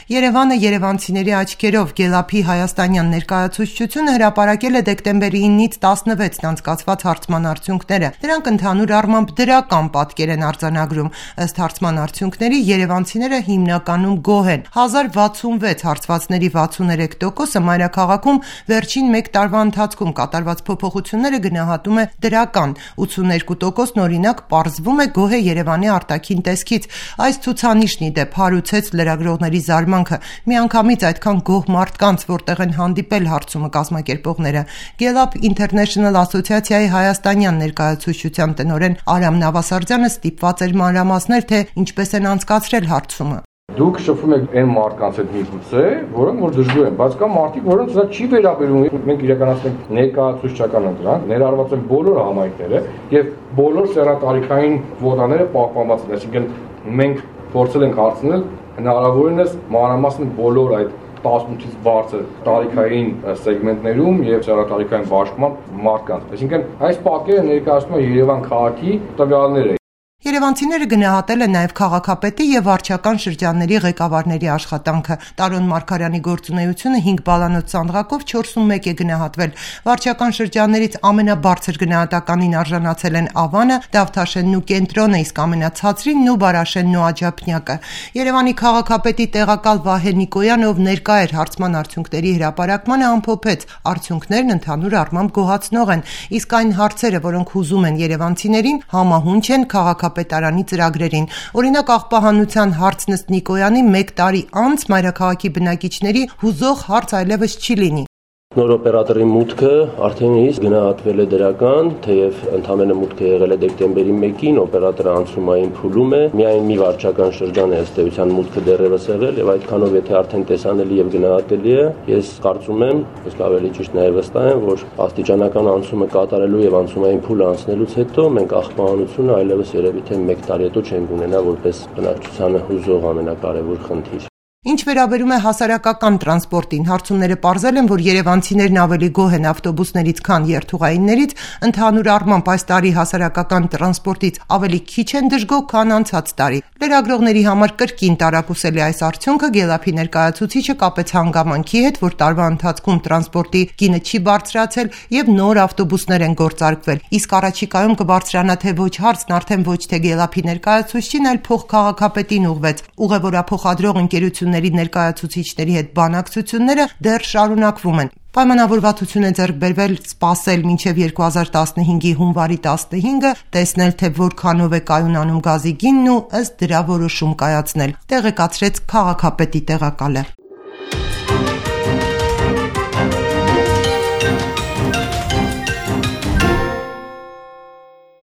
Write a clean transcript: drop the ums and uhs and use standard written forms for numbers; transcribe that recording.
Երևանը երևանցիների աչքերով Գելափի հայաստանյան ներկայացուցչությունը հրապարակել է դեկտեմբերի 9-ից 16-ն անցկացված հարցման արդյունքները։ Դրանք ընդհանուր առմամբ դրական պատկեր են արձանագրում։ Ըստ հարցման արդյունքների երևանցիները հիմնականում գոհ են։ 1066 հարցվածների 63%-ը մայրաքաղաքում վերջին 1 տարվա ընթացքում կատարված փոփոխությունները գնահատում է դրական, 82%-ն օրինակ պարզվում է գոհ է Երևանի արտաքին տեսքից։ Այս ցուցանիշն ի դեպ հարուցեց լրագրողների զարմանքը։ Միանգամից այդքան գոհ մարդկանց, որտեղ են հանդիպել հարցումը կազմակերպողները։ Գելափ International ասոցիացիայի հայաստանյան ներկայացուցչության տնօրեն Արամ Նավասարդյանը ստիպված էր մանրամասնել, թե ինչպես են անցկացրել հարցումը։ Դուք շփվում եք այն մարդկանց հետ միգուցե, որոնք որ դժգոհ են, բայց կա մարդիկ, որոնց դա չի վերաբերում։ Մենք իրականացնենք ներկայացուցչական ընտրանք, ներառված են բոլոր համայնքները եւ բոլոր սեռատարիքային կվոտաները պահպանված են, այսինքն մենք փորձել ենք հարցնել հնարավորինս մանրամասն բոլոր այդ 18-ից բարձր տարիքային սեգմենտներում եւ սեռատարիքային բաշխման մարդկանց։ Այսինքն այս պատկերը ներկայացնում է Երևան քաղաքի տվյալները։ Երևանցիները գնահատել են նաև քաղաքապետի եւ վարչական շրջանների ղեկավարների աշխատանքը։ Տարոն Մարգարյանի գործունեությունը 5 բալանոց սանդղակով 4.1 է գնահատվել։ Վարչական շրջաններից ամենաբարձր գնահատականին արժանացել են Ավանը, Դավթաշենն ու Կենտրոնը, իսկ ամենացածրին Նուբարաշենն ու Աջափնյակը։ Երևանի քաղաքապետի տեղակալ Վահե Նիկոյանը, ով ներկա էր հարցման արդյունքների հրապարակմանը, ամփոփեց. արդյունքներն ընդհանուր առմամբ գոհացնող են, իսկ այն հարցերը, որոնք հուզում են երևանցիներին, համահունչ են քաղաքապետարանի ծրագրերին։ Օրինակ աղբահանության հարցն ըստ Նիկոյանի 1 տարի անց մայրաքաղաքի բնակիչների հուզող հարց այլևս չի լինի։ Նոր օպերատորի մուտքը արդեն իսկ գնահատվել է դրական, թեև ընդամենը մուտքը եղել է դեկտեմբերի 1-ին, օպերատորը անցումային փուլում է, միայն մի վարչական շրջան է ըստ էության մուտքը դեռևս եղել եւ այդքանով եթե արդեն տեսանելի եւ գնահատելի է, ես կարծում եմ, իսկ ավելի ճիշտ նաեւ վստահ եմ, որ աստիճանական անցումը կատարելու եւ անցումային փուլը անցնելուց հետո մենք աղբահանությունը այլևս երևի թե 1 տարի հետո չենք ունենա որպես բնակչությանը հուզող ամենակարևոր խնդիր։ Ինչ վերաբերում է հասարակական տրանսպորտին, հարցումները պարզել են, որ երևանցիներն ավելի գոհ են ավտոբուսներից, քան երթուղայիններից, ընդհանուր առմամբ այս տարի հասարակական տրանսպորտից ավելի քիչ են դժգոհ, քան անցած տարի։ Լրագրողների համար կրկին տարակուսել է այս արդյունքը, Գելափի ներկայացուցիչը կապեց հանգամանքի հետ, որ տարվա ընթացքում տրանսպորտի գինը չի բարձրացել եւ նոր ավտոբուսներ են գործարկվել։ Իսկ առաջիկայում կբարձրանա թե ոչ հարցն արդեն ոչ թե Գելափի ներկայացուցչին, այլ փոխքաղաքապետին ուղղվեց։ Ուղևորափոխադրող ընկերությունների ներկայացուցիչների հետ բանակցությունները դեռ շարունակվում են։ Պայմանավորվածություն է ձեռք բերվել սպասել մինչև 2015-ի հունվարի 15-ը, տեսնել թե որքանով է կայունանում գազի գինն ու ըստ դրա որոշում կայացնել, տեղեկացրեց քաղաքապետի տեղակալը։